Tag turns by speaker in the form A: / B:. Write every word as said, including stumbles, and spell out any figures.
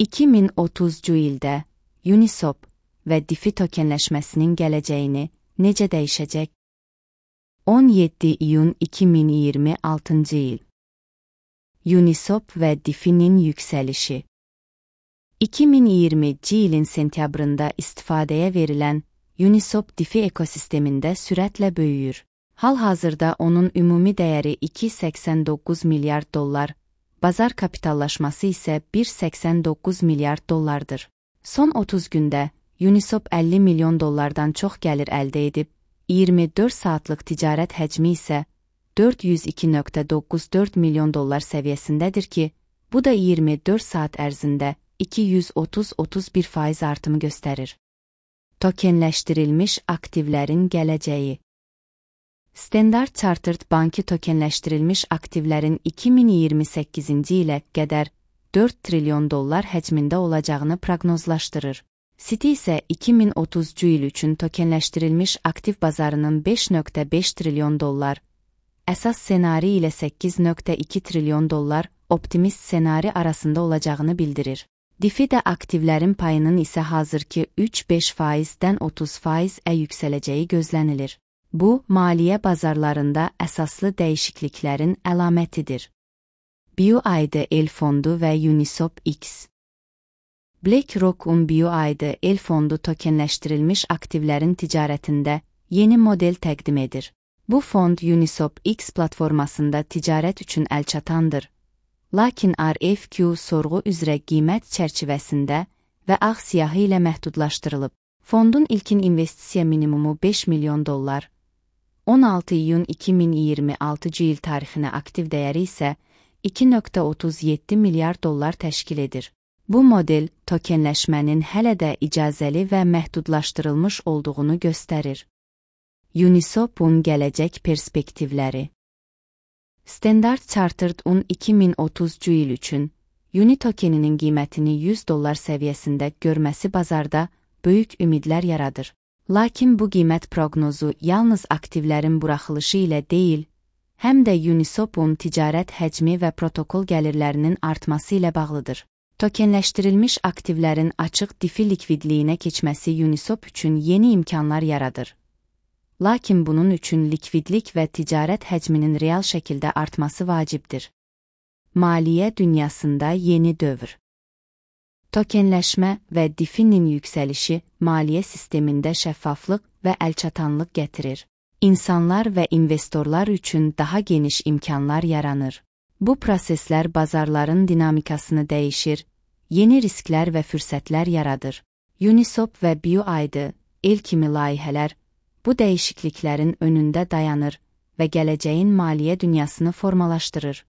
A: iki min otuzuncu ildə Uniswap və DeFi tokenləşməsinin gələcəyini necə dəyişəcək? on yeddi iyun iki min iyirmi altıncı il. Uniswap və DeFi'nin yüksəlişi. iki min iyirminci ilin sentyabrında istifadəyə verilən Uniswap DeFi ekosistemində sürətlə böyüyür. Hal-hazırda onun ümumi dəyəri iki nöqtə səksən doqquz milyard dollar, bazar kapitallaşması isə bir nöqtə səksən doqquz milyard dollardır. Son otuz gündə Uniswap əlli milyon dollardan çox gəlir əldə edib, iyirmi dörd saatlıq ticarət həcmi isə dörd yüz iki nöqtə doqquz dörd milyon dollar səviyyəsindədir ki, bu da iyirmi dörd saat ərzində iki yüz otuz otuz bir faiz artımı göstərir. Tokenləşdirilmiş aktivlərin gələcəyi. Standard Chartered Bankı tokenləşdirilmiş aktivlərin iki min iyirmi səkkizinci ilə qədər dörd trilyon dollar həcmində olacağını proqnozlaşdırır. Citi isə iki min otuzuncu il üçün tokenləşdirilmiş aktiv bazarının beş nöqtə beş trilyon dollar, əsas ssenari ilə səkkiz nöqtə iki trilyon dollar, optimist ssenari arasında olacağını bildirir. DeFi də aktivlərin payının isə hazırki üç beş faizdən otuz faizə yüksələcəyi gözlənilir. Bu, maliyyə bazarlarında əsaslı dəyişikliklərin əlamətidir. B U I D L fondu və Uniswap X. BlackRock'un B U I D L fondu tokenləşdirilmiş aktivlərin ticarətində yeni model təqdim edir. Bu fond Uniswap X platformasında ticarət üçün əlçatandır. Lakin R F Q sorğu üzrə qiymət çərçivəsində və ağ siyahı ilə məhdudlaşdırılıb. Fondun ilkin investisiya minimumu beş milyon dollar, on altı iyun iki min iyirmi altıncı il tarixinə aktiv dəyəri isə iki nöqtə otuz yeddi milyard dollar təşkil edir. Bu model tokenləşmənin hələ də icazəli və məhdudlaşdırılmış olduğunu göstərir. Uniswap'un gələcək perspektivləri. Standard Chartered'un iki min otuzuncu il üçün Uni tokeninin qiymətini yüz dollar səviyyəsində görməsi bazarda böyük ümidlər yaradır. Lakin bu qiymət proqnozu yalnız aktivlərin buraxılışı ilə deyil, həm də Uniswap'un ticarət həcmi və protokol gəlirlərinin artması ilə bağlıdır. Tokenləşdirilmiş aktivlərin açıq DeFi likvidliyinə keçməsi Uniswap üçün yeni imkanlar yaradır. Lakin bunun üçün likvidlik və ticarət həcminin real şəkildə artması vacibdir. Maliyyə dünyasında yeni dövr. Tokenləşmə və DeFi'nin yüksəlişi maliyyə sistemində şəffaflıq və əlçatanlıq gətirir. İnsanlar və investorlar üçün daha geniş imkanlar yaranır. Bu proseslər bazarların dinamikasını dəyişir, yeni risklər və fürsətlər yaradır. Uniswap və B U I D L kimi layihələr bu dəyişikliklərin önündə dayanır və gələcəyin maliyyə dünyasını formalaşdırır.